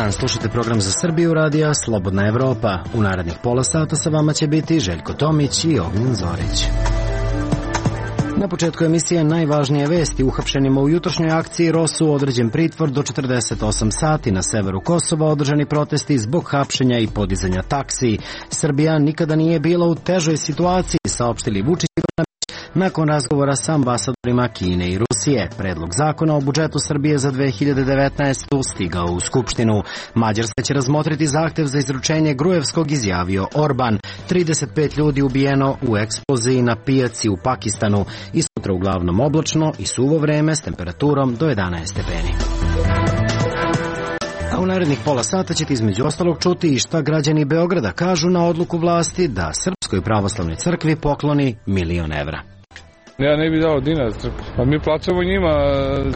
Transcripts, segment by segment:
dan, slušate program za Srbiju radija Slobodna Evropa. U narednih pola sata sa vama će biti Željko Tomić i Ognjen Zorić. Na početku emisije najvažnije vesti. Uhapšenima u jutrošnjoj akciji ROSU određen pritvor do 48 sati. Na severu Kosova održani protesti zbog hapšenja i podizanja taksi. Srbija nikada nije bila u težoj situaciji, saopštili Vučić i Brnabić nakon razgovora sa ambasadorima Kine i Rusije. Predlog zakona o budžetu Srbije za 2019. stigao u Skupštinu. Mađarska će razmotriti zahtev za izručenje Grujevskog, izjavio Orban. 35 ljudi ubijeno u eksploziji na pijaci u Pakistanu. I sutra uglavnom oblačno i suvo vreme s temperaturom do 11 stepeni. A u narednih pola sata ćete između ostalog čuti i šta građani Beograda kažu na odluku vlasti da Srpskoj pravoslavnoj crkvi pokloni 1.000.000 evra. Ja ne bih dao dinar crkvi. Pa mi plaćamo njima,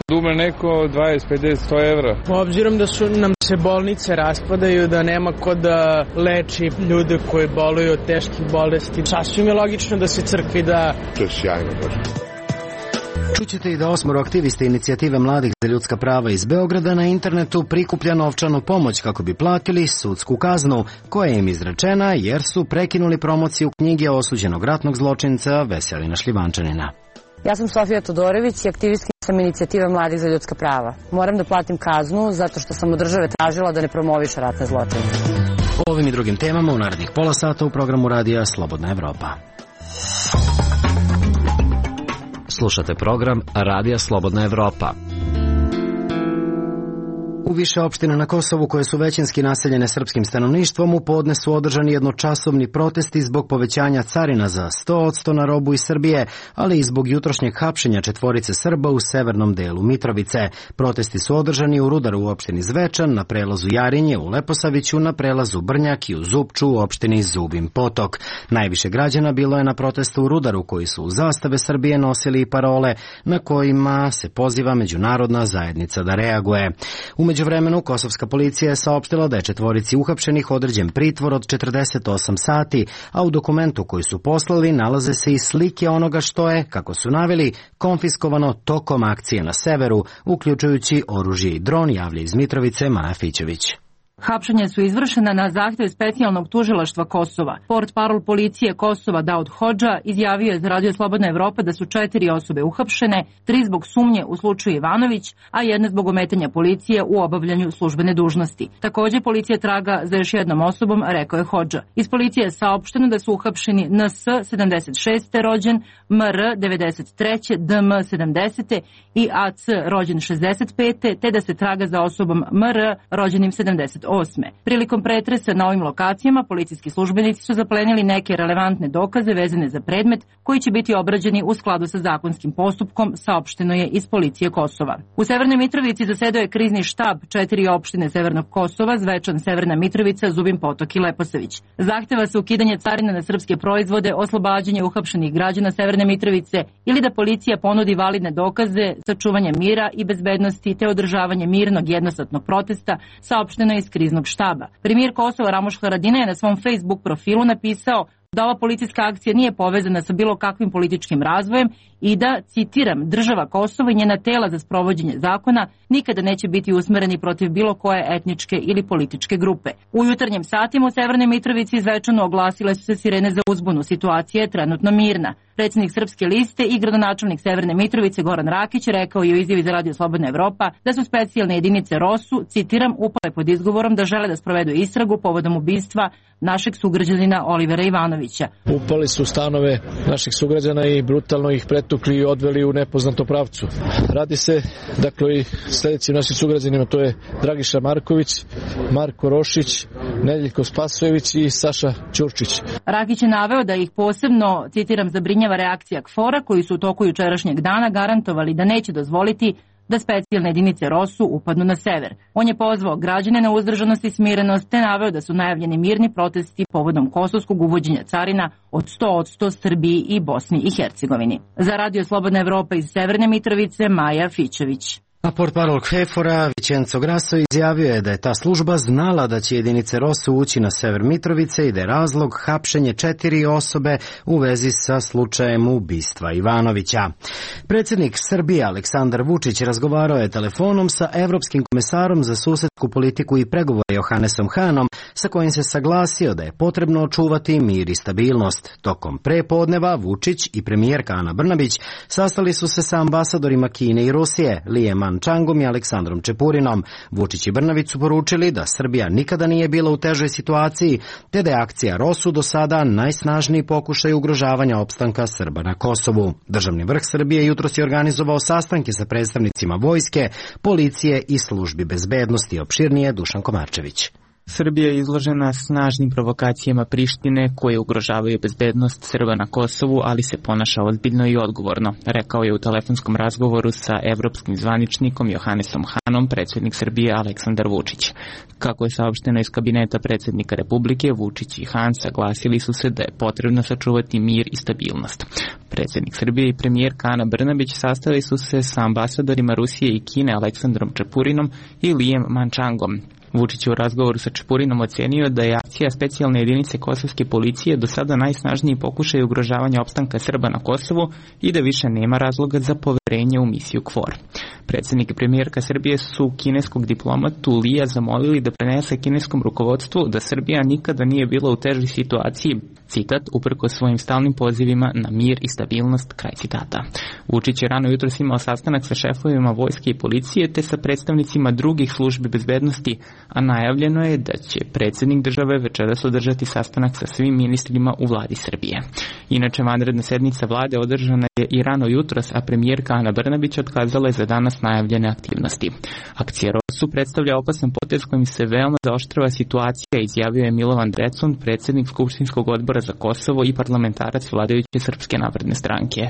dume neko 20, 50, 100 evra. Obzirom da nam se bolnice raspadaju, da nema ko da leči ljude koji boluju od teških bolesti, sasvim je logično da se crkvi da... To je sjajno, baš. Čućete i da 8 aktivista inicijative mladih za ljudska prava iz Beograda na internetu prikuplja novčanu pomoć kako bi platili sudsku kaznu koja im izrečena jer su prekinuli promociju knjige osuđenog ratnog zločinca Veselina Šljivančanina. Ja sam Sofija Todorović i aktivistkinja sam inicijative mladih za ljudska prava. Moram da platim kaznu zato što sam od države tražila da ne promoviše ratne zločince. O ovim i drugim temama u narednih pola sata u programu radija Slobodna Evropa. Slušate program Radija Slobodna Evropa. U više opština na Kosovu koje su većinski naseljene srpskim stanovništvom u podne su održani jednočasovni protesti zbog povećanja carina za 100% na robu iz Srbije, ali i zbog jutrošnjeg hapšenja 4 Srba u severnom delu Mitrovice. Protesti su održani u Rudaru u opštini Zvečan, na prelazu Jarinje u Leposaviću, na prelazu Brnjak i u Zupču u opštini Zubin Potok. Najviše građana bilo je na protestu u Rudaru koji su u zastave Srbije nosili i parole na kojima se poziva međunarodna zajednica da reaguje. U međuvremenu, kosovska policija je saopštila da je 4 uhapšenih određen pritvor od 48 sati, a u dokumentu koji su poslali nalaze se i slike onoga što je, kako su naveli, konfiskovano tokom akcije na severu, uključujući oružje i dron, javlja iz Mitrovice Maja Fićević. Hapšenja su izvršena na zahtev specijalnog tužilaštva Kosova. Portparol policije Kosova Daud Hodža izjavio je za Radio Slobodna Evropa da su 4 osobe uhapšene, 3 zbog sumnje u slučaju Ivanović, a 1 zbog ometanja policije u obavljanju službene dužnosti. Također policija traga za još jednom osobom, rekao je Hodža. Iz policije je saopšteno da su uhapšeni NS 76. rođen, MR 93. DM 70. i AC rođen 65. te da se traga za osobom MR rođenim 78. Prilikom pretresa na ovim lokacijama, policijski službenici su zaplenili neke relevantne dokaze vezane za predmet koji će biti obrađeni u skladu sa zakonskim postupkom, saopšteno je iz policije Kosova. U Severnoj Mitrovici zasedao je krizni štab 4 opštine Severnog Kosova, Zvečan, Severna Mitrovica, Zubin Potok i Leposavić. Zahteva se ukidanje carina na srpske proizvode, oslobađanje uhapšenih građana Severne Mitrovice ili da policija ponudi validne dokaze za čuvanje mira i bezbednosti te održavanje mirnog jednosatnog protesta, saopšteno je iz kriznog štaba. Premijer Kosova Ramoš Haradinaj je na svom Facebook profilu napisao da ova policijska akcija nije povezana sa bilo kakvim političkim razvojem i da, citiram, država Kosova i njena tela za sprovođenje zakona nikada neće biti usmereni protiv bilo koje etničke ili političke grupe. U jutarnjim satima u Severnoj Mitrovici i Zvečanu oglasile su se sirene za uzbunu. Situacija je trenutno mirna. Predsjednik Srpske liste i gradonačelnik Severne Mitrovice Goran Rakić rekao je u izjavi za Radio Slobodna Evropa da su specijalne jedinice ROSU, citiram, upale pod izgovorom da žele da sprovedu istragu povodom ubistva našeg sugrađanina Olivera Ivanovića. Upali su stanove naših sugrađana i brutalno ih pretukli i odveli u nepoznatom pravcu. Radi se, dakle, i sljedećim našim sugrađanima, to je Dragiša Marković, Marko Rošić, Nedeljko Spasojević i Saša Ćurčić. Rakić je naveo da ih posebno, citiram, zabrinjava reakcija KFOR-a koji su u toku jučerašnjeg dana garantovali da neće dozvoliti da specijalne jedinice ROSU upadnu na sever. On je pozvao građane na uzdržanost i smirenost te naveo da su najavljeni mirni protesti povodom kosovskog uvođenja carina od 100% Srbiji i Bosni i Hercegovini. Za Radio Slobodna Evropa iz Severne Mitrovice Maja Fićević. A portparol KFOR-a Vicenzo Grasso izjavio je da je ta služba znala da će jedinice ROSU ući na sever Mitrovice i da je razlog hapšenje 4 osobe u vezi sa slučajem ubistva Ivanovića. Predsjednik Srbije Aleksandar Vučić razgovarao je telefonom sa evropskim komesarom za susedstvo vanjsku politiku i pregovore Johannesom Hanom, sa kojim se saglasio da je potrebno očuvati mir i stabilnost. Tokom prepodneva Vučić i premijerka Ana Brnabić sastali su se sa ambasadorima Kine i Rusije, Lijem Mančangom i Aleksandrom Čepurinom. Vučić i Brnabić su poručili da Srbija nikada nije bila u težoj situaciji, te da je akcija ROSU do sada najsnažniji pokušaj ugrožavanja opstanka Srba na Kosovu. Državni vrh Srbije jutros je organizovao sastanke sa predstavnicima vojske, policije i službi bezbednosti. Opširnije Dušan Komarčević. Srbija je izložena snažnim provokacijama Prištine koje ugrožavaju bezbednost Srba na Kosovu, ali se ponaša ozbiljno i odgovorno, rekao je u telefonskom razgovoru sa evropskim zvaničnikom Johannesom Hanom predsjednik Srbije Aleksandar Vučić. Kako je saopšteno iz kabineta predsjednika Republike, Vučić i Han saglasili su se da je potrebno sačuvati mir i stabilnost. Predsjednik Srbije i premijerka Ana Brnabić sastali su se sa ambasadorima Rusije i Kine Aleksandrom Čepurinom i Lijem Mančangom. Vučić je u razgovoru sa Čepurinom ocenio da je akcija specijalne jedinice kosovske policije do sada najsnažniji pokušaj ugrožavanja opstanka Srba na Kosovu i da više nema razloga za poverenje u misiju KFOR. Predsjednik i premijerka Srbije su kineskog diplomatu Lija zamolili da prenese kineskom rukovodstvu da Srbija nikada nije bila u težoj situaciji, citat, uprkos svojim stalnim pozivima na mir i stabilnost, kraj citata. Vučić je rano jutros imao sastanak sa šefovima vojske i policije te sa predstavnicima drugih službi bezbednosti, a najavljeno je da će predsjednik države večeras održati sastanak sa svim ministrima u vladi Srbije. Inače, vanredna sednica vlade održana je i rano jutros, a premijerka Ana Brnabić otkazala je za danas najavljene aktivnosti. Akcija ROSU predstavlja opasan potez kojim se veoma zaoštrava situacija, izjavio je Milovan Drecun, predsjednik Skupštinskog odbora za Kosovo i parlamentarac vladajuće Srpske napredne stranke.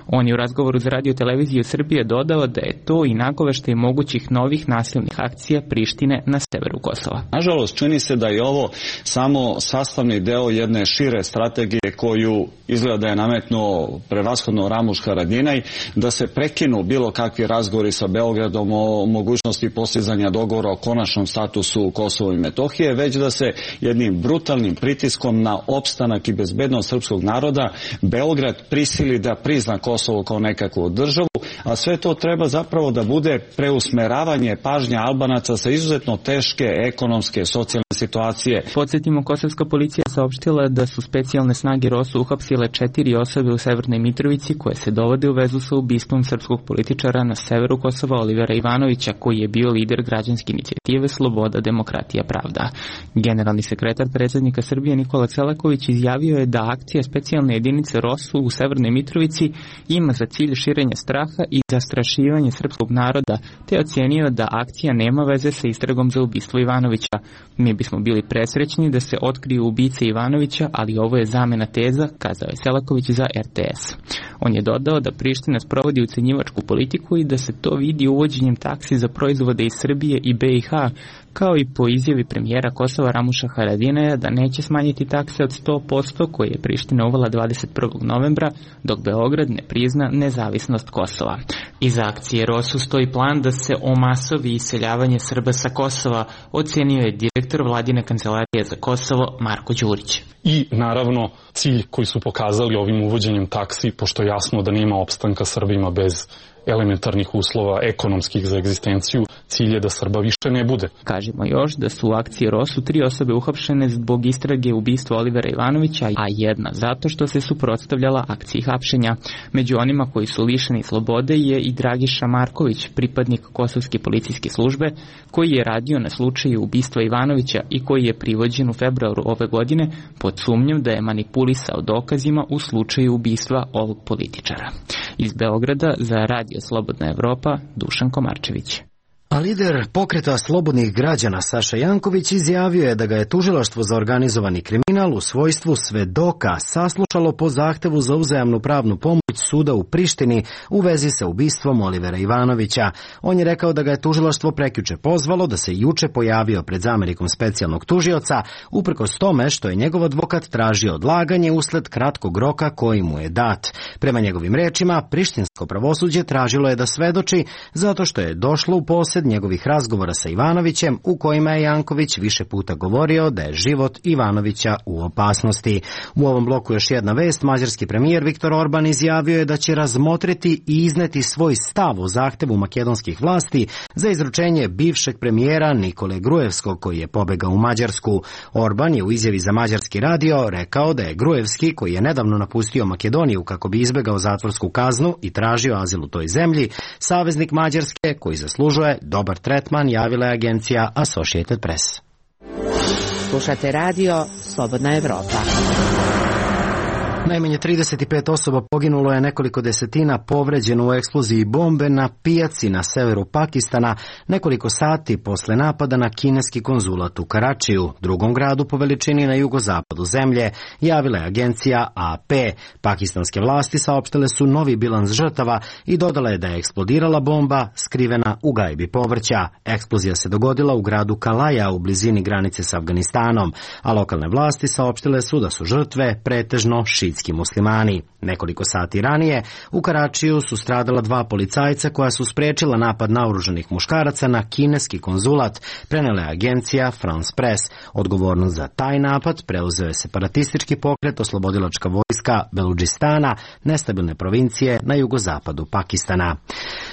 On je u razgovoru za Radio televiziju Srbije dodao da je to i nagoveštaj mogućih novih nasilnih akcija Prištine na severu Kosova. Nažalost, čini se da je ovo samo sastavni deo jedne šire strategije koju izgleda da je nametnuo prevashodno Ramuš Haradinaj, da se prekinu bilo kakvi razgovori sa Beogradom o mogućnosti postizanja dogovora o konačnom statusu Kosova i Metohije, već da se jednim brutalnim pritiskom na opstanak i bezbednost srpskog naroda Beograd prisili da prizna Kosovo kao nekakvu državu, a sve to treba zapravo da bude preusmeravanje pažnje Albanaca sa izuzetno teške ekonomske, socijalne situacije. Podsjetimo, kosovska policija saopštila da su specijalne snage ROSU uhapsile 4 osobe u Severnoj Mitrovici koje se dovode u vezu sa ubistvom srpskog političara na severu Kosova Olivera Ivanovića, koji je bio lider građanske inicijative Sloboda, demokratija, pravda. Generalni sekretar predsjednika Srbije Nikola Selaković izjavio je da akcija specijalne jedinice ROSU u Severnoj Mitrovici ima za cilj širenje straha i zastrašivanje srpskog naroda, te ocenio da akcija nema veze sa istragom za ubistvo Ivanovića. Mi bismo bili presrećni da se otkriju ubice Ivanovića, ali ovo je zamena teza, kazao je Selaković za RTS. On je dodao da Priština sprovodi ucenjivačku politiku i da se to vidi uvođenjem taksi za proizvode iz Srbije i BiH, kao i po izjavi premijera Kosova Ramuša Haradinaja da neće smanjiti takse od 100% koje je Priština uvela 21. novembra, dok Beograd ne prizna nezavisnost Kosova. Iza akcije ROSU stoji plan da se omasovi iseljavanje Srba sa Kosova, ocenio je direktor vladine kancelarije za Kosovo Marko Đurić. I naravno cilj koji su pokazali ovim uvođenjem taksi, pošto je jasno da nema opstanka Srbima bez elementarnih uslova ekonomskih za egzistenciju, cilj je da Srba više ne bude. Kažemo još da su u akciji ROSU 3 osobe uhapšene zbog istrage ubistva Olivera Ivanovića, a jedna zato što se suprotstavljala akciji hapšenja. Među onima koji su lišeni slobode je i Dragiša Marković, pripadnik kosovske policijske službe, koji je radio na slučaju ubistva Ivanovića i koji je privođen u februaru ove godine pod sumnjom da je manipulisao dokazima u slučaju ubistva ovog političara. Iz Beograda za Radio Slobodna Evropa, Dušan Komarčević. A lider pokreta slobodnih građana Saša Janković izjavio je da ga je tužilaštvo za organizovani kriminal u svojstvu svedoka saslušalo po zahtevu za uzajamnu pravnu pomoć suda u Prištini u vezi sa ubistvom Olivera Ivanovića. On je rekao da ga je tužilaštvo prekjuče pozvalo, da se juče pojavio pred zamenikom specijalnog tužioca, uprkos tome što je njegov advokat tražio odlaganje usled kratkog roka koji mu je dat. Prema njegovim rečima, prištinsko pravosuđe tražilo je da svedoči zato što je došlo u posjed njegovih razgovora sa Ivanovićem u kojima je Janković više puta govorio da je život Ivanovića u opasnosti. U ovom bloku još jedna vest. Mađarski premijer Viktor Orban izjavio je da će razmotriti i izneti svoj stav o zahtevu makedonskih vlasti za izručenje bivšeg premijera Nikole Gruevskog, koji je pobegao u Mađarsku. Orban je u izjavi za mađarski radio rekao da je Gruevski, koji je nedavno napustio Makedoniju kako bi izbegao zatvorsku kaznu i tražio azil u toj zemlji, saveznik Mađarske koji zaslužuje dobar tretman, javila je agencija Associated Press. Slušate radio Slobodna Evropa. Najmanje 35 osoba poginulo je, nekoliko desetina povređeno u eksploziji bombe na pijaci na severu Pakistana nekoliko sati posle napada na kineski konzulat u Karačiju, drugom gradu po veličini na jugozapadu zemlje, javila je agencija AP. Pakistanske vlasti saopštile su novi bilans žrtava i dodala je da je eksplodirala bomba skrivena u gajbi povrća. Eksplozija se dogodila u gradu Kalaja u blizini granice s Afganistanom, a lokalne vlasti saopštile su da su žrtve pretežno šiitski muslimani. Nekoliko sati ranije u Karačiju su stradala 2 policajca koja su sprečila napad naoružanih muškaraca na kineski konzulat, prenela je agencija France Press. Odgovornost za taj napad preuzeo je separatistički pokret Oslobodilačka vojska Beludžistana, nestabilne provincije na jugozapadu Pakistana.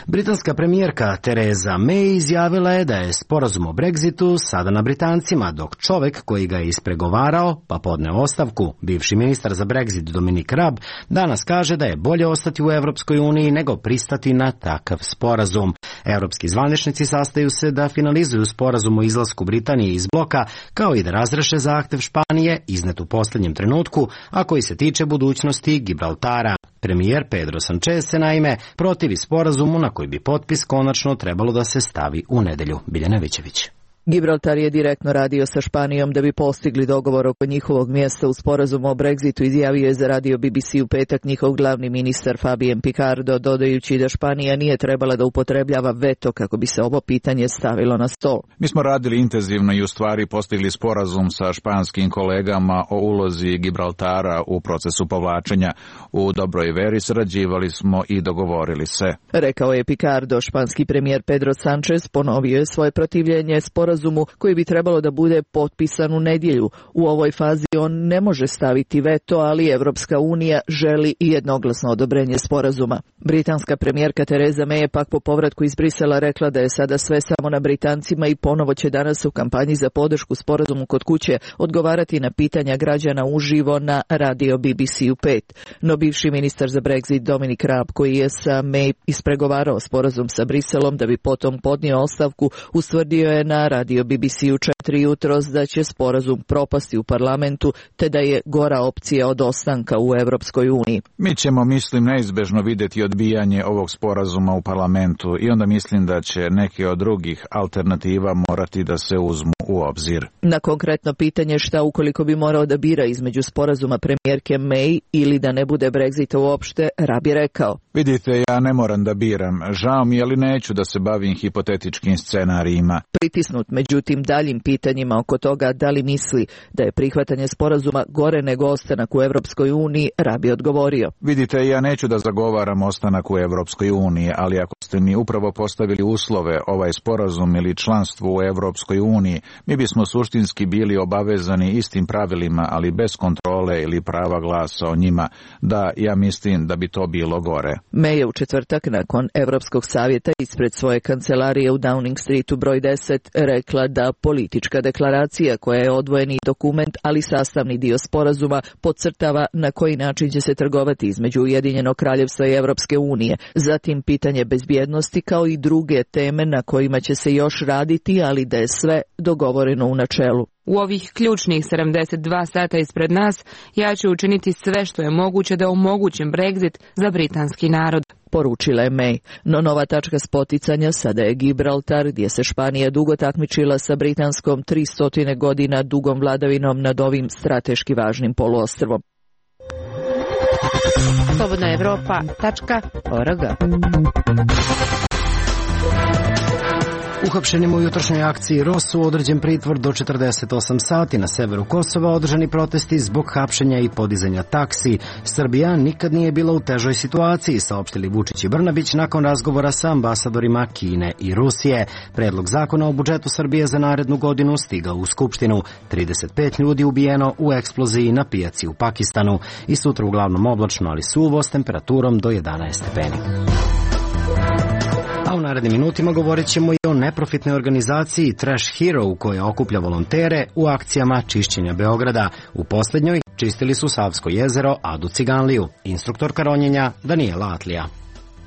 Britanska premijerka Theresa May izjavila je da je sporazum o Brexitu sada na Britancima, dok čovek koji ga je ispregovarao pa podneo ostavku, bivši ministar za Brexit Dominic Raab, danas kaže da je bolje ostati u Evropskoj uniji nego pristati na takav sporazum. Evropski zvaničnici sastaju se da finalizuju sporazum o izlasku Britanije iz bloka, kao i da razreše zahtev Španije iznet u posljednjem trenutku, a koji se tiče budućnosti Gibraltara. Premijer Pedro Sanchez se naime protivi sporazumu na koji bi potpis konačno trebalo da se stavi u nedelju. Biljana Vićević. Gibraltar je direktno radio sa Španijom da bi postigli dogovor oko njihovog mjesta u sporazumu o Brexitu, izjavio je za radio BBC u petak njihov glavni ministar Fabien Picardo, dodajući da Španija nije trebala da upotrebljava veto kako bi se ovo pitanje stavilo na stol. Mi smo radili intenzivno i u stvari postigli sporazum sa španskim kolegama o ulozi Gibraltara u procesu povlačenja. U dobroj veri sarađivali smo i dogovorili se, rekao je Picardo. Španski premijer Pedro Sanchez ponovio je svoje protivljenje sporazumu koji bi trebalo da bude potpisan u nedjelju. U ovoj fazi on ne može staviti veto, ali Evropska unija želi i jednoglasno odobrenje sporazuma. Britanska premijerka Theresa May je pak po povratku iz Brisela rekla da je sada sve samo na Britancima i ponovo će danas u kampanji za podršku sporazumu kod kuće odgovarati na pitanja građana uživo na radio BBC-u 5. No bivši ministar za Brexit Dominic Raab, koji je sa May ispregovarao sporazum sa Briselom da bi potom podnio ostavku, ustvrdio je na radio BBC-u 4 jutros da će sporazum propasti u parlamentu, te da je gora opcija od ostanka u Evropskoj uniji. Mi ćemo, mislim, neizbežno vidjeti odbijanje ovog sporazuma u parlamentu i onda mislim da će neke od drugih alternativa morati da se uzmu u obzir. Na konkretno pitanje šta ukoliko bi morao da bira između sporazuma premijerke May ili da ne bude Brexita uopšte, Raab je rekao: Vidite, ja ne moram da biram. Žao mi, ali neću da se bavim hipotetičkim scenarijima. Pritisnut međutim daljim pitanjima oko toga da li misli da je prihvatanje sporazuma gore nego ostanak u Evropskoj uniji, Raab je odgovorio: Vidite, ja neću da zagovaram ostanak u Evropskoj uniji, ali ako ste mi upravo postavili uslove, ovaj sporazum ili članstvo u Evropskoj uniji, mi bismo suštinski bili obavezani istim pravilima, ali bez kontrole ili prava glasa o njima. Da, ja mislim da bi to bilo gore. May je u četvrtak nakon Evropskog savjeta ispred svoje kancelarije u Downing Streetu broj 10 rekla da politička deklaracija, koja je odvojeni dokument, ali sastavni dio sporazuma, podcrtava na koji način će se trgovati između Ujedinjenog kraljevstva i Evropske unije, zatim pitanje bezbjednosti kao i druge teme na kojima će se još raditi, ali da je sve dogovoreno u načelu. U ovih ključnih 72 sata ispred nas, ja ću učiniti sve što je moguće da omogućim Brexit za britanski narod, poručila je May. No nova tačka spoticanja sada je Gibraltar, gdje se Španija dugo takmičila sa britanskom 300 godina dugom vladavinom nad ovim strateški važnim poluostrvom. Slobodnaevropa.org. Uhapšenima u jutrošnjoj akciji ROSU određen pritvor do 48 sati na severu Kosova, održani protesti zbog hapšenja i podizanja taksi. Srbija nikad nije bila u težoj situaciji, saopštili Vučić i Brnabić nakon razgovora sa ambasadorima Kine i Rusije. Predlog zakona o budžetu Srbije za narednu godinu stigao u Skupštinu. 35 ljudi ubijeno u eksploziji na pijaci u Pakistanu. I sutra uglavnom oblačno, ali suvo s temperaturom do 11 stepeni. A u narednim minutima govorit ćemo i o neprofitnoj organizaciji Trash Hero koja okuplja volontere u akcijama čišćenja Beograda. U poslednjoj čistili su Savsko jezero, Adu Ciganliju. Instruktorka ronjenja Danijela Atlija.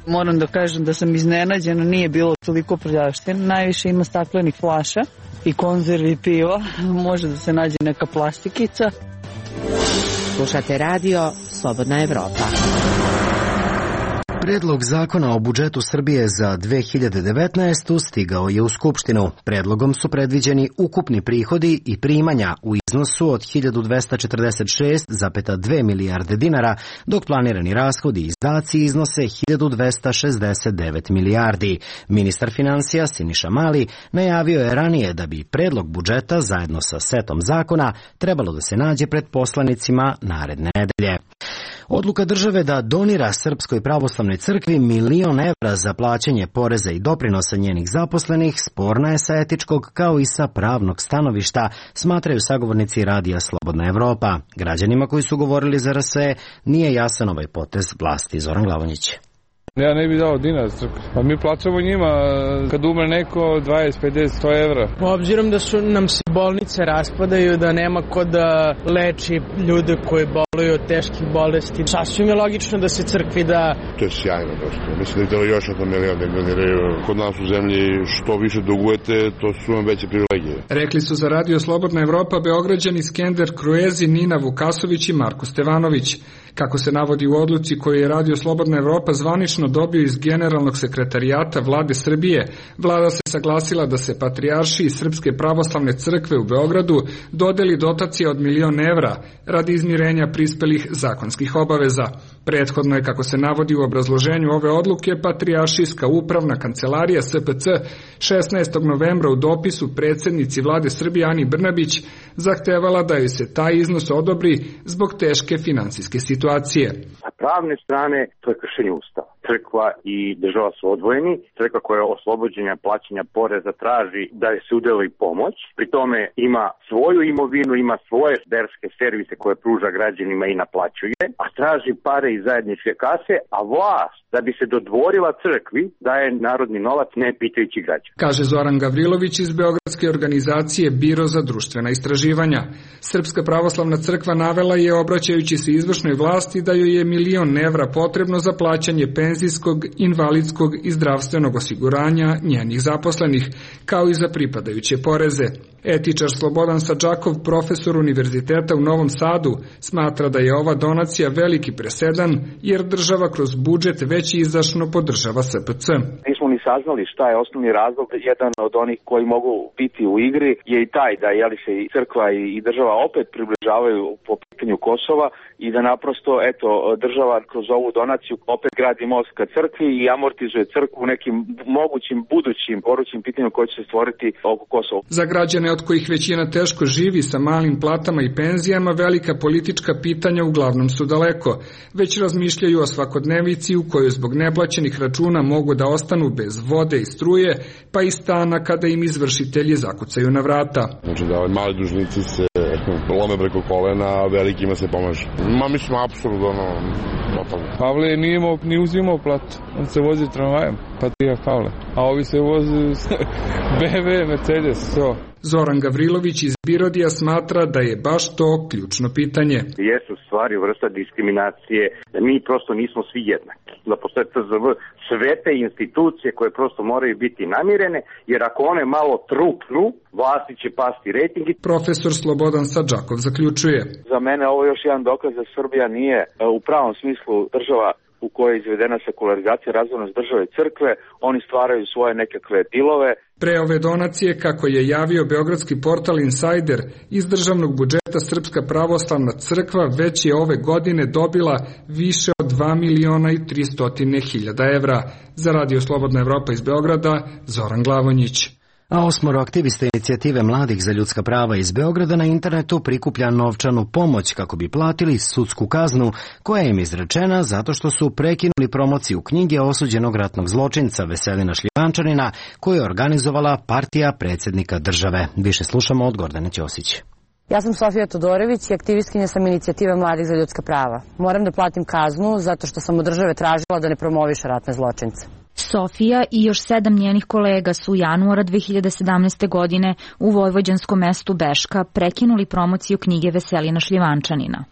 Moram da kažem da sam iznenađena, nije bilo toliko prljavštine. Najviše ima staklenih flaša i konzervi piva. Može da se nađe neka plastikica. Slušate radio Slobodna Evropa. Predlog zakona o budžetu Srbije za 2019. stigao je u Skupštinu. Predlogom su predviđeni ukupni prihodi i primanja u iznosu od 1246,2 milijarde dinara, dok planirani rashodi i izdaci iznose 1269 milijardi. Ministar finansija Siniša Mali najavio je ranije da bi predlog budžeta zajedno sa setom zakona trebalo da se nađe pred poslanicima naredne nedelje. Odluka države da donira Srpskoj pravoslavnoj crkvi $1.000.000 za plaćanje poreza i doprinosa njenih zaposlenih sporna je sa etičkog kao i sa pravnog stanovišta, smatraju sagovornici radija Slobodna Evropa. Građanima koji su govorili za RS nije jasan ovaj potez vlasti. Zoran Glavonjić. Ja ne bih dao dinar crkvi. Pa mi plaćamo njima kad umre neko 20, 50, 100 evra. Obzirom da su nam se bolnice raspadaju, da nema ko da leči ljude koji boluju od teških bolesti, sasvim je logično da se crkvi da... To je sjajno dosta. Mislim da je telo još $1 milion da doniraju. Kod nas u zemlji što više dugujete, to su vam veće privilegije. Rekli su za radio Slobodna Evropa Beograđani Skender Kruezi, Nina Vukasović i Marko Stevanović. Kako se navodi u odluci koju je radio Slobodna Evropa zvanično dobio iz Generalnog sekretarijata Vlade Srbije, vlada se saglasila da se patrijaršiji Srpske pravoslavne crkve u Beogradu dodeli dotacija od $1.000.000 radi izmirenja prispelih zakonskih obaveza. Prethodno je, kako se navodi u obrazloženju ove odluke, Patrijaršijska upravna kancelarija SPC 16. novembra u dopisu predsjednici Vlade Srbije Ani Brnabić zahtevala da joj se taj iznos odobri zbog teške finansijske situacije. Sa pravne strane to je kršenje Ustava. Crkva i država su odvojeni. Crkva koja je oslobođenja plaćanja poreza traži da se udeli pomoć. Pri tome ima svoju imovinu, ima svoje verske servise koje pruža građanima i naplaćuje, a traži pare iz zajedničke kase, a vlast da bi se dodvorila crkvi daje narodni novac ne pitajući građana. Kaže Zoran Gavrilović iz beogradske organizacije Biro za društvena istraživanja. Srpska pravoslavna crkva navela je, obraćajući se izvršnoj vlasti, da joj je $1.000.000 potrebno za plaćanje penzijskog, invalidskog i zdravstvenog osiguranja njenih zaposlenih, kao i za pripadajuće poreze. Etičar Slobodan Sadžakov, profesor univerziteta u Novom Sadu, smatra da je ova donacija veliki presedan, jer država kroz budžet već izdašno podržava SPC. Nismo ni saznali šta je osnovni razlog. Jedan od onih koji mogu biti u igri je i taj da se i crkva i država opet približavaju po pitanju Kosova i da naprosto država kroz ovu donaciju opet gradi most ka crkvi i amortizuje crkvu u nekim mogućim budućim gorućim pitanjima koje će se stvoriti oko Kosova. Za građane od kojih većina teško živi sa malim platama i penzijama, velika politička pitanja uglavnom su daleko. Već razmišljaju o svakodnevici u kojoj zbog neplaćenih računa mogu da ostanu bez vode i struje, pa i stana kada im izvršitelji zakucaju na vrata. Znači da mali dužnici se lome preko kolena, a velikima se pomaže. Mislim, apsolutno, Pavle nije ni uzimao platu, on se vozi tramvajem, Patrijarh Pavle, a ovi se vozi BMW, Mercedes, to. Zoran Gavrilović iz Birodija smatra da je baš to ključno pitanje. Jesu stvari vrsta diskriminacije, da mi prosto nismo svi jednaki. Da postoje TZV, sve te institucije koje prosto moraju biti namirene, jer ako one malo trupnu, vlasti će pasti rejtingi. Profesor Slobodan Sadžakov zaključuje. Za mene ovo je još jedan dokaz da Srbija nije u pravom smislu država u kojoj je izvedena sekularizacija, razvojnost države i crkve. Oni stvaraju svoje nekakve dilove. Pre ove donacije, kako je javio beogradski portal Insider, iz državnog budžeta Srpska pravoslavna crkva već je ove godine dobila više od 2.300.000 evra. Za radio Slobodna Evropa iz Beograda, Zoran Glavonjić. A 8 aktivista inicijative Mladih za ljudska prava iz Beograda na internetu prikuplja novčanu pomoć kako bi platili sudsku kaznu koja im izrečena zato što su prekinuli promociju knjige osuđenog ratnog zločinca Veselina Šljivančanina koju je organizovala partija predsjednika države. Više slušamo od Gordane Ćosić. Ja sam Sofija Todorović i aktivistkinja sam inicijative Mladih za ljudska prava. Moram da platim kaznu zato što sam od države tražila da ne promoviše ratne zločince. Sofija i još 7 njenih kolega su januara 2017. godine u vojvođanskom mestu Beška prekinuli promociju knjige Veselina Šljivančanina.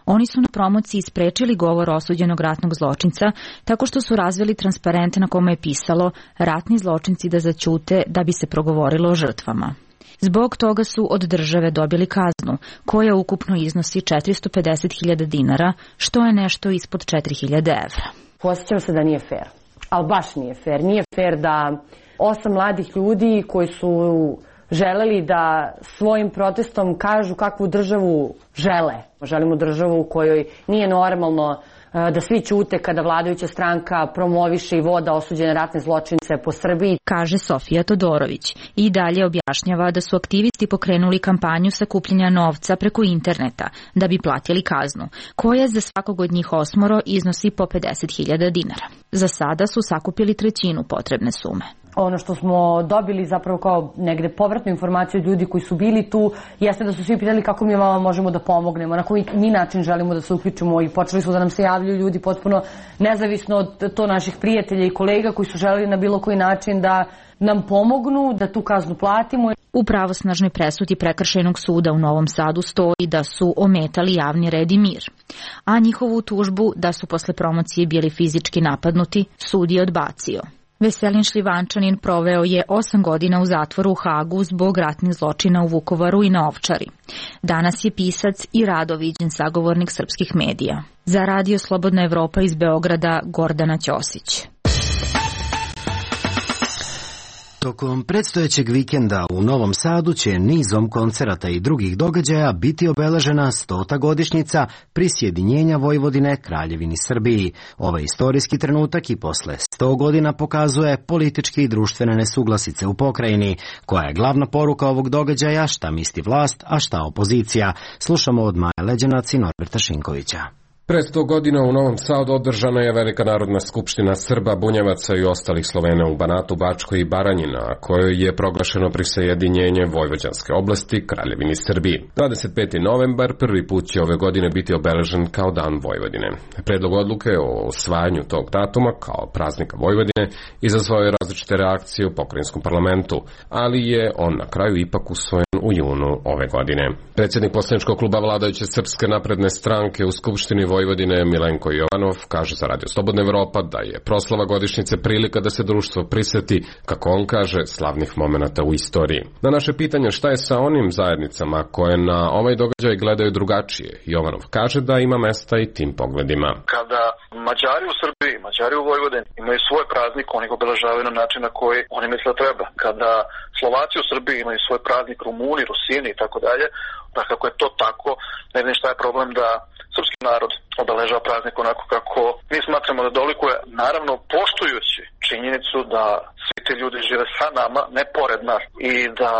Oni su na promociji sprečili govor osuđenog ratnog zločinca tako što su razvili transparente na kome je pisalo ratni zločinci da zaćute da bi se progovorilo o žrtvama. Zbog toga su od države dobili kaznu, koja ukupno iznosi 450.000 dinara, što je nešto ispod 4.000 evra. Osjećam se da nije fair, ali baš nije fair. Nije fair da 8 mladih ljudi koji su želeli da svojim protestom kažu kakvu državu žele. Želimo državu u kojoj nije normalno da svi ćute kada vladajuća stranka promoviše i voda osuđene ratne zločince po Srbiji, kaže Sofija Todorović. I dalje objašnjava da su aktivisti pokrenuli kampanju sakupljanja novca preko interneta da bi platili kaznu, koja za svakog od njih 8 iznosi po 50.000 dinara. Za sada su sakupili trećinu potrebne sume. Ono što smo dobili zapravo kao negde povratnu informaciju od ljudi koji su bili tu jeste da su svi pitali kako mi vama možemo da pomognemo, na koji mi način želimo da se uključimo i počeli su da nam se javljaju ljudi potpuno nezavisno od to naših prijatelja i kolega koji su želeli na bilo koji način da nam pomognu, da tu kaznu platimo. U pravosnažnoj presudi Prekršajnog suda u Novom Sadu stoji da su ometali javni red i mir, a njihovu tužbu da su posle promocije bili fizički napadnuti sud je odbacio. Veselin Šljivančanin proveo je 8 godina u zatvoru u Hagu zbog ratnih zločina u Vukovaru i na Ovčari. Danas je pisac i rado viđen sagovornik srpskih medija. Za Radio Slobodna Evropa iz Beograda, Gordana Ćosić. Tokom predstojećeg vikenda u Novom Sadu će nizom koncerata i drugih događaja biti obeležena 100. godišnjica prisjedinjenja Vojvodine Kraljevini Srbiji. Ovaj istorijski trenutak i posle 100 godina pokazuje političke i društvene nesuglasice u pokrajini, koja je glavna poruka ovog događaja, šta misli vlast, a šta opozicija. Slušamo od Maje Leđanac i Norberta Šinkovića. Pre 100 godina u Novom Sadu održana je Velika narodna skupština Srba, Bunjevaca i ostalih Slovena u Banatu, Bačkoj i Baranji, na kojoj je proglašeno prisjedinjenje Vojvođanske oblasti Kraljevini Srbiji. 25. novembar prvi put će ove godine biti obeležen kao Dan Vojvodine. Predlog odluke o usvajanju tog datuma kao praznika Vojvodine izazvao je različite reakcije u pokrajinskom parlamentu, ali je on na kraju ipak usvojen u junu ove godine. Predsjednik poslaničkog kluba vladajuće Srpske napredne stranke u Skupštini Vojvodine Milenko Jovanov kaže za Radio Slobodna Evropa da je proslava godišnjice prilika da se društvo priseti, kako on kaže, slavnih momenata u istoriji. Na naše pitanje šta je sa onim zajednicama koje na ovaj događaj gledaju drugačije, Jovanov kaže da ima mesta i tim pogledima. Kada Mađari u Srbiji, Mađari u Vojvodini imaju svoj praznik, oni ga obeležavaju na način na koji oni misle da treba. Kada Slovaci u Srbiji imaju svoj praznik, Rumuni, Rusini i tako dalje, da kako je to tako, ne znam šta je problem da srpski narod obeležava praznik onako kako mi smatramo da dolikuje, naravno poštujući činjenicu da svi ti ljudi žive sa nama, ne pored nas, i da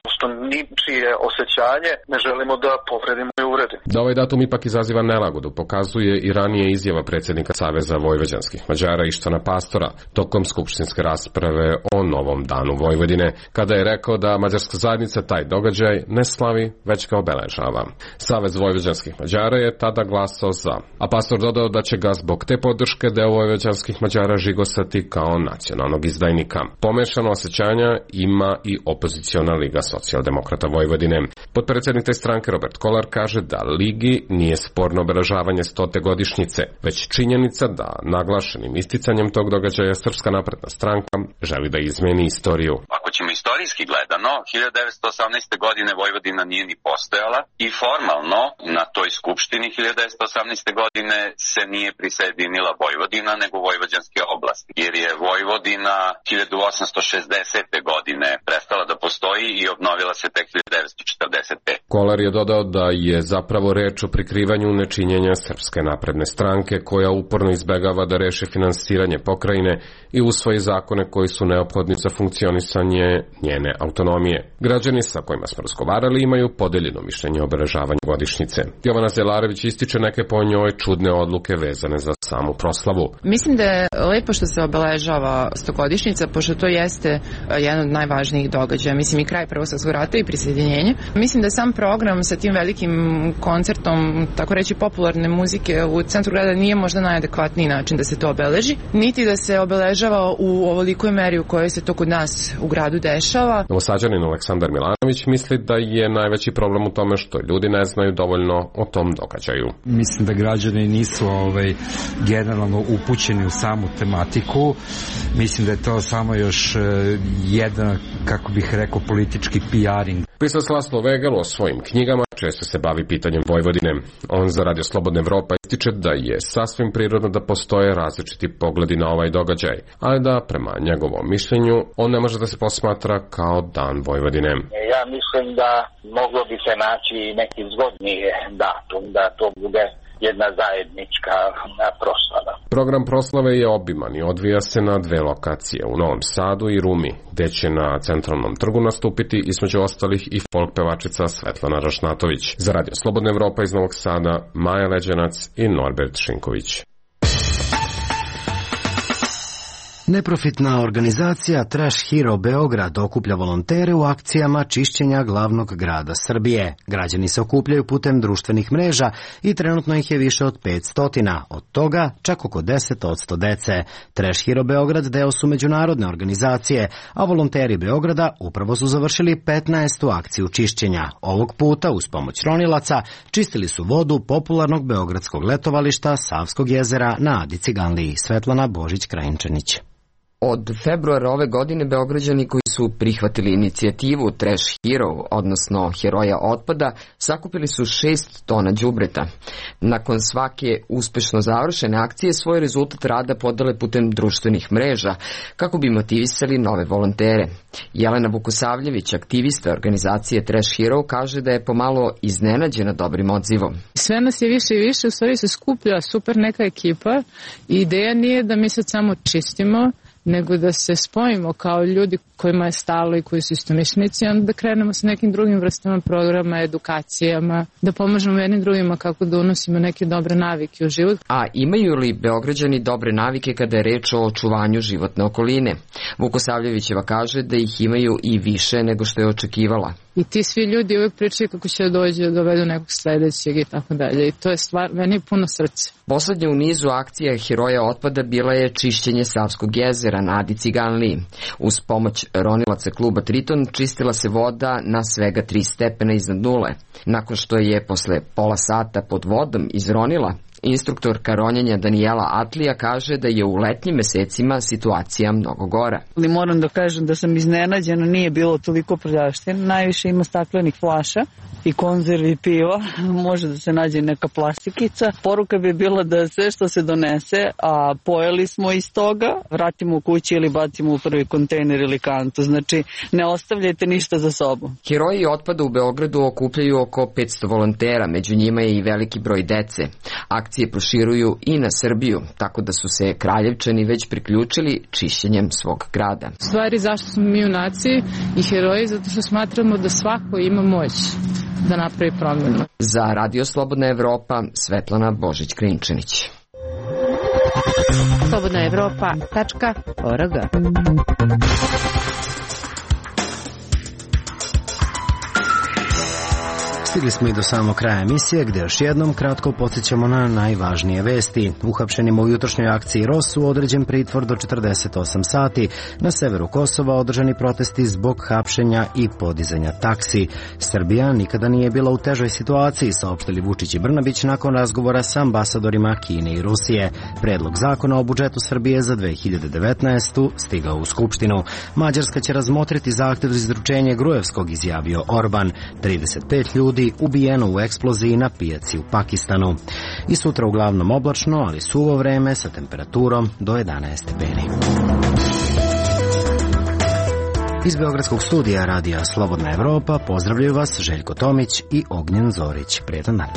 prosto ničije osjećanje ne želimo da povredimo i uredimo. Da ovaj datum ipak izaziva nelagodu pokazuje i ranije izjava predsjednika Saveza vojvođanskih Mađara Ištvana Pastora tokom skupštinske rasprave o novom danu Vojvodine, kada je rekao da mađarska zajednica taj događaj ne slavi, već ga obeležava. Savez vojvođanskih Mađara je tada glasao za, a Pastor dodao da će ga zbog te podrške deo vojvođanskih Mađara žigosati kao nacionalnog izdajnika. Pomešano osjećanja ima i opoziciona Liga socijaldemokrata Vojvodine. Potpredsjednik te stranke Robert Kolar kaže da Ligi nije sporno obeležavanje 100. godišnjice, već činjenica da naglašenim isticanjem tog događaja Srpska napredna stranka želi da izmeni istoriju. Ako ćemo istorijski gledano, 1918. godine Vojvodina nije ni postojala i formalno na toj skupštini 1918. godine se nije prisjedinila Vojvodina nego Vojvođanske oblasti, jer je Vojvodina 1860. godine prestala da postoji i obnovila se tek 1945. Kolar je dodao da je zapravo reč o prikrivanju nečinjenja Srpske napredne stranke, koja uporno izbegava da reši finansiranje pokrajine i usvoji zakone koji su neophodni za funkcionisanje njene autonomije. Građani sa kojima smo razgovarali imaju podeljeno mišljenje o obeležavanju godišnjice. Jovana Zelarević ističe neke po njoj čudne odluke vezane za samu proslavu. Mislim da je lepo što se obeležava 100-godišnjica, pošto to jeste jedan od najvažnijih događaja. Mislim i kraj Prvog svjetskog rata i prisjedinjenje. Mislim da je sam program sa tim velikim koncertom, tako reći popularne muzike u centru grada nije možda najadekvatniji način da se to obeleži, niti da se obeležava u ovolikoj meri u kojoj se to kod nas u gradu dešava. Novosađanin Aleksandar Milanović misli da je najveći problem u tome što ljudi ne znaju dovoljno o tom događaju. Mislim da građani nisu generalno upućeni u samu tematiku. Mislim da je to samo još jedan, kako bih rekao, politički PR-ing. Pisac Laslo Vegel o svojim knjigama često se bavi pitanjem Vojvodine. On za Radio Slobodna Evropa ističe da je sasvim prirodno da postoje različiti pogledi na ovaj događaj, ali da prema njegovom mišljenju on ne može da se posmatra kao Dan Vojvodine. Ja mislim da moglo bi se naći neki zgodniji datum da to bude jedna zajednička proslava. Program proslave je obiman i odvija se na 2 lokacije, u Novom Sadu i Rumi, gde će na Centralnom trgu nastupiti između ostalih i folk pevačica Svetlana Rašnatović. Za Radio Slobodna Evropa iz Novog Sada, Maja Leđanac i Norbert Šinković. Neprofitna organizacija Trash Hero Beograd okuplja volontere u akcijama čišćenja glavnog grada Srbije. Građani se okupljaju putem društvenih mreža i trenutno ih je više od 500, od toga čak oko 10% dece. Trash Hero Beograd deo su međunarodne organizacije, a volonteri Beograda upravo su završili 15. akciju čišćenja. Ovog puta, uz pomoć ronilaca, čistili su vodu popularnog beogradskog letovališta Savskog jezera na Adi Ciganliji. Svetlana Božić-Krajinčanić. Od februara ove godine Beograđani koji su prihvatili inicijativu Trash Hero, odnosno Heroja otpada, sakupili su 6 tona đubreta. Nakon svake uspešno završene akcije svoj rezultat rada podale putem društvenih mreža kako bi motivisali nove volontere. Jelena Vukosavljević, aktivista organizacije Trash Hero, kaže da je pomalo iznenađena dobrim odzivom. Sve nas je više i više, u stvari se skuplja super neka ekipa i ideja nije da mi sad samo čistimo, nego da se spojimo kao ljudi kojima je stalo i koji su istomišljenici, onda da krenemo sa nekim drugim vrstama programa, edukacijama, da pomažemo jednim drugima kako da unosimo neke dobre navike u život. A imaju li Beograđani dobre navike kada je reč o očuvanju životne okoline? Vukosavljevićeva kaže da ih imaju i više nego što je očekivala. I ti svi ljudi uvijek pričaju kako će dođe, dovedu nekog sledećeg i tako dalje. I to je stvar, meni je puno srce. Poslednja u nizu akcija Heroja otpada bila je čišćenje Savskog jezera na Adi Ciganliji. Uz pomoć ronilaca kluba Triton čistila se voda na svega 3 stepena iznad nule. Nakon što je posle pola sata pod vodom izronila, instruktorka ronjenja Danijela Atlija kaže da je u letnjim mesecima situacija mnogo gora. Ali moram da kažem da sam iznenađena, nije bilo toliko prljavštine. Najviše ima staklenih flaša i konzervi piva, može da se nađe neka plastikica. Poruka bi bila da sve što se donese, a pojeli smo iz toga, vratimo u kući ili bacimo u prvi kontejner ili kantu. Znači, ne ostavljajte ništa za sobom. Heroji otpada u Beogradu okupljaju oko 500 volontera, među njima je i veliki broj dece. Akcije proširuju i na Srbiju, tako da su se Kraljevčani već priključili čišćenjem svog grada. Stvari zašto smo mi junaci i heroji, zato što smatramo da svako ima moć da napravi promjenu. Za Radio Slobodna Evropa, Svetlana Božić-Krinčanić. slobodnaevropa.org. Stigli smo i do samog kraja emisije, gde još jednom kratko podsjećamo na najvažnije vesti. Uhapšenima u jutrošnjoj akciji ROSU određen pritvor do 48 sati. Na severu Kosova održani protesti zbog hapšenja i podizanja taksi. Srbija nikada nije bila u težoj situaciji, saopštili Vučić i Brnabić nakon razgovora sa ambasadorima Kine i Rusije. Predlog zakona o budžetu Srbije za 2019. stigao u Skupštinu. Mađarska će razmotriti zahtev za izručenje Grujevskog, izjavio Orban. 35 ljudi ubijeno u eksploziji na pijaci u Pakistanu. I sutra uglavnom oblačno, ali suvo vreme sa temperaturom do 11 stepeni. Iz Beogradskog studija Radija Slobodna Evropa pozdravljaju vas Željko Tomić i Ognjen Zorić. Prijetan dan.